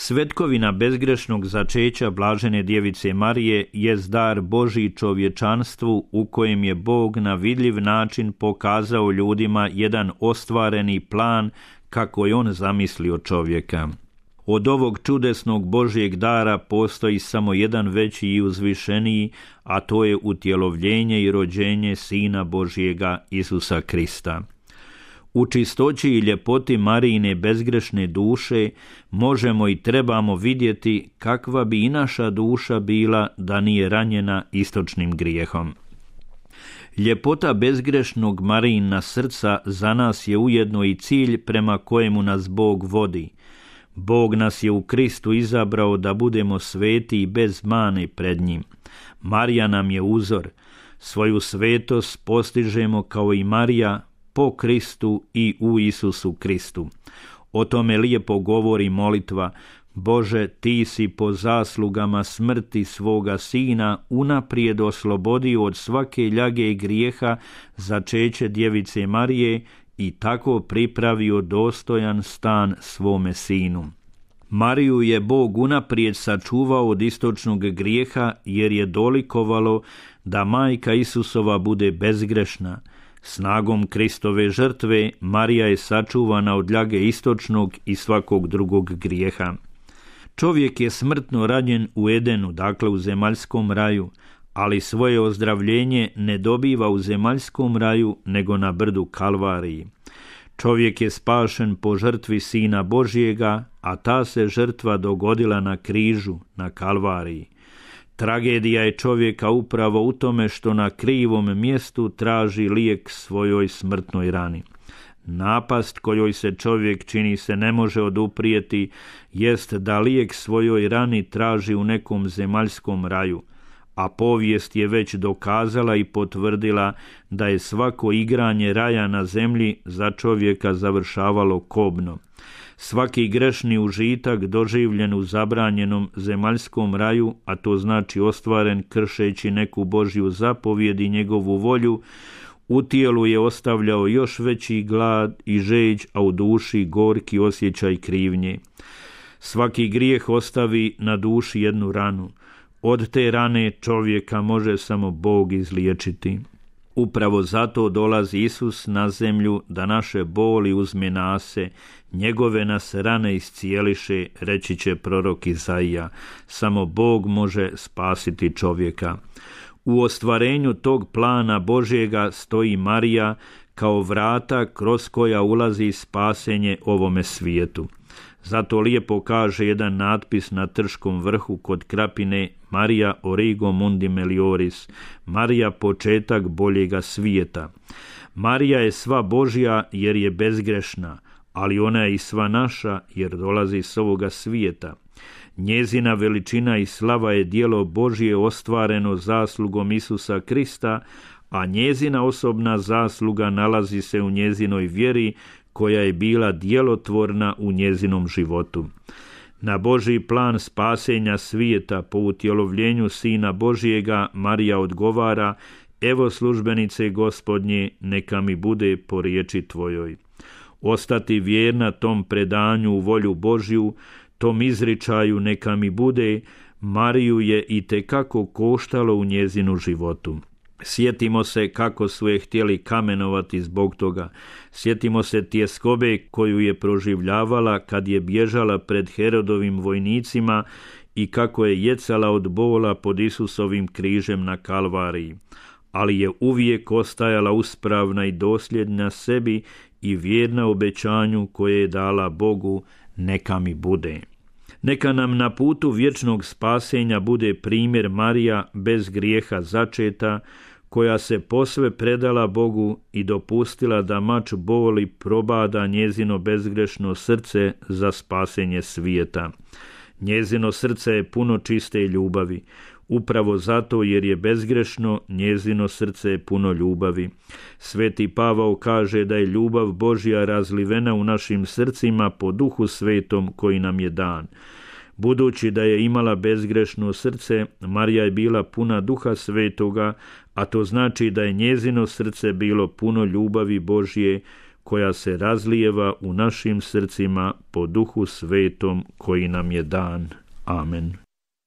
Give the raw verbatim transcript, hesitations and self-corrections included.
Svetkovina bezgrešnog začeća blažene djevice Marije jest dar Božji čovječanstvu u kojem je Bog na vidljiv način pokazao ljudima jedan ostvareni plan kako je on zamislio čovjeka. Od ovog čudesnog Božjeg dara postoji samo jedan veći i uzvišeniji, a to je utjelovljenje i rođenje Sina Božjega Isusa Krista. U čistoći i ljepoti Marijine bezgrešne duše možemo i trebamo vidjeti kakva bi i naša duša bila da nije ranjena istočnim grijehom. Ljepota bezgrešnog Marijina srca za nas je ujedno i cilj prema kojemu nas Bog vodi. Bog nas je u Kristu izabrao da budemo sveti i bez mane pred njim. Marija nam je uzor. Svoju svetost postižemo kao i Marija po Kristu i u Isusu Kristu. O tome lijepo govori molitva: Bože, ti si po zaslugama smrti svoga Sina unaprijed oslobodio od svake ljage i grijeha začeće djevice Marije i tako pripravio dostojan stan svome Sinu. Mariju je Bog unaprijed sačuvao od istočnog grijeha jer je dolikovalo da majka Isusova bude bezgrešna. Snagom Kristove žrtve Marija je sačuvana od ljage istočnog i svakog drugog grijeha. Čovjek je smrtno ranjen u Edenu, dakle u zemaljskom raju, ali svoje ozdravljenje ne dobiva u zemaljskom raju nego na brdu Kalvariji. Čovjek je spašen po žrtvi Sina Božjega, a ta se žrtva dogodila na križu, na Kalvariji. Tragedija je čovjeka upravo u tome što na krivom mjestu traži lijek svojoj smrtnoj rani. Napast kojoj se čovjek čini se ne može oduprijeti jest da lijek svojoj rani traži u nekom zemaljskom raju, a povijest je već dokazala i potvrdila da je svako igranje raja na zemlji za čovjeka završavalo kobno. Svaki grešni užitak doživljen u zabranjenom zemaljskom raju, a to znači ostvaren kršeći neku Božju zapovjed i njegovu volju, u tijelu je ostavljao još veći glad i žeđ, a u duši gorki osjećaj krivnje. Svaki grijeh ostavi na duši jednu ranu. Od te rane čovjeka može samo Bog izliječiti. Upravo zato dolazi Isus na zemlju da naše boli uzme nase, njegove nas rane iscijeliše, reći će prorok Izaija. Samo Bog može spasiti čovjeka. U ostvarenju tog plana Božjega stoji Marija kao vrata kroz koja ulazi spasenje ovome svijetu. Zato lijepo kaže jedan natpis na Trškom vrhu kod Krapine: Marija origo mundi melioris, Marija početak boljega svijeta. Marija je sva Božja jer je bezgrešna, ali ona je i sva naša jer dolazi s ovoga svijeta. Njezina veličina i slava je djelo Božje ostvareno zaslugom Isusa Krista, a njezina osobna zasluga nalazi se u njezinoj vjeri koja je bila djelotvorna u njezinom životu. Na Božji plan spasenja svijeta po utjelovljenju Sina Božjega Marija odgovara: evo službenice Gospodnje, neka mi bude po riječi tvojoj. Ostati vjerna tom predanju u volju Božju, tom izričaju neka mi bude, Mariju je itekako koštalo u njezinu životu. Sjetimo se kako su je htjeli kamenovati zbog toga. Sjetimo se tjeskobe koju je proživljavala kad je bježala pred Herodovim vojnicima i kako je jecala od bola pod Isusovim križem na Kalvariji. Ali je uvijek ostajala uspravna i dosljedna sebi i vjerna obećanju koje je dala Bogu: neka mi bude. Neka nam na putu vječnog spasenja bude primjer Marija bez grijeha začeta, koja se posve predala Bogu i dopustila da mač boli probada njezino bezgrešno srce za spasenje svijeta. Njezino srce je puno čiste ljubavi. Upravo zato jer je bezgrešno, njezino srce je puno ljubavi. Sveti Pavao kaže da je ljubav Božja razlivena u našim srcima po Duhu Svetom koji nam je dan. Budući da je imala bezgrešno srce, Marija je bila puna Duha Svetoga, a to znači da je njezino srce bilo puno ljubavi Božje, koja se razlijeva u našim srcima po Duhu Svetom koji nam je dan. Amen.